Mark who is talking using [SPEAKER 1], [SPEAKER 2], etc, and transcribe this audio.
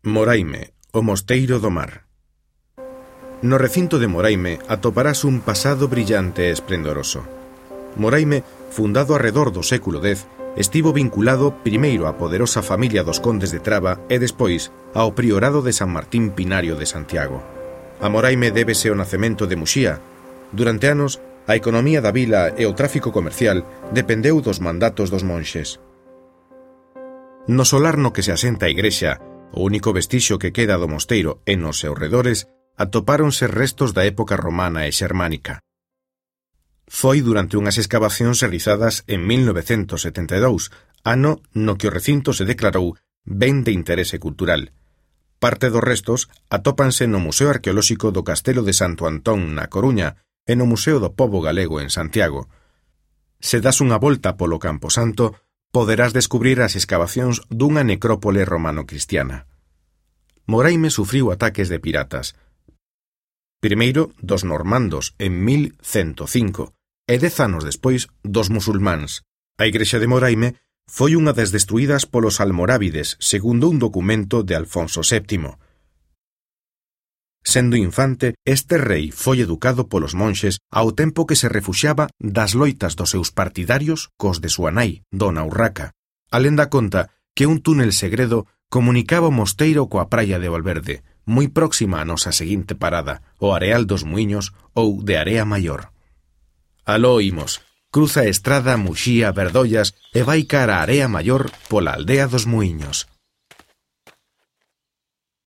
[SPEAKER 1] Moraime, o Mosteiro do Mar. No recinto de Moraime atoparás un pasado brillante e esplendoroso. Moraime, fundado arredor do século X, estivo vinculado primeiro á poderosa familia dos condes de Traba e despois ao priorado de San Martín Pinario de Santiago. A Moraime débese o nacemento de Muxía. Durante anos, a economía da vila e o tráfico comercial dependeu dos mandatos dos monxes. No solar no que se asenta a igrexa, o único vestixio que queda do mosteiro e nos seus redores, atopáronse restos da época romana e xermánica. Foi durante unhas escavacións realizadas en 1972, ano no que o recinto se declarou ben de interese cultural. Parte dos restos atópanse no Museo Arqueolóxico do Castelo de Santo Antón na Coruña e no Museo do Pobo Galego en Santiago. Se das unha volta polo Camposanto, poderás descubrir as escavacións dunha necrópole romano-cristiana. Moraime sufriu ataques de piratas. Primeiro dos normandos en 1105 e 10 anos despois dos musulmáns. A igrexa de Moraime foi unha das destruídas polos almorávides, segundo un documento de Alfonso VII. Sendo infante, este rei foi educado polos monxes ao tempo que se refuxiaba das loitas dos seus partidarios cos de súa nai, Dona Urraca. A lenda conta que un túnel segredo comunicaba o mosteiro coa praia de Valverde, moi próxima a nosa seguinte parada, o Areal dos Muiños ou de Area Maior. Aló imos, cruza a estrada Muxía Verdollas e vai cara a Area Maior pola aldea dos Muiños.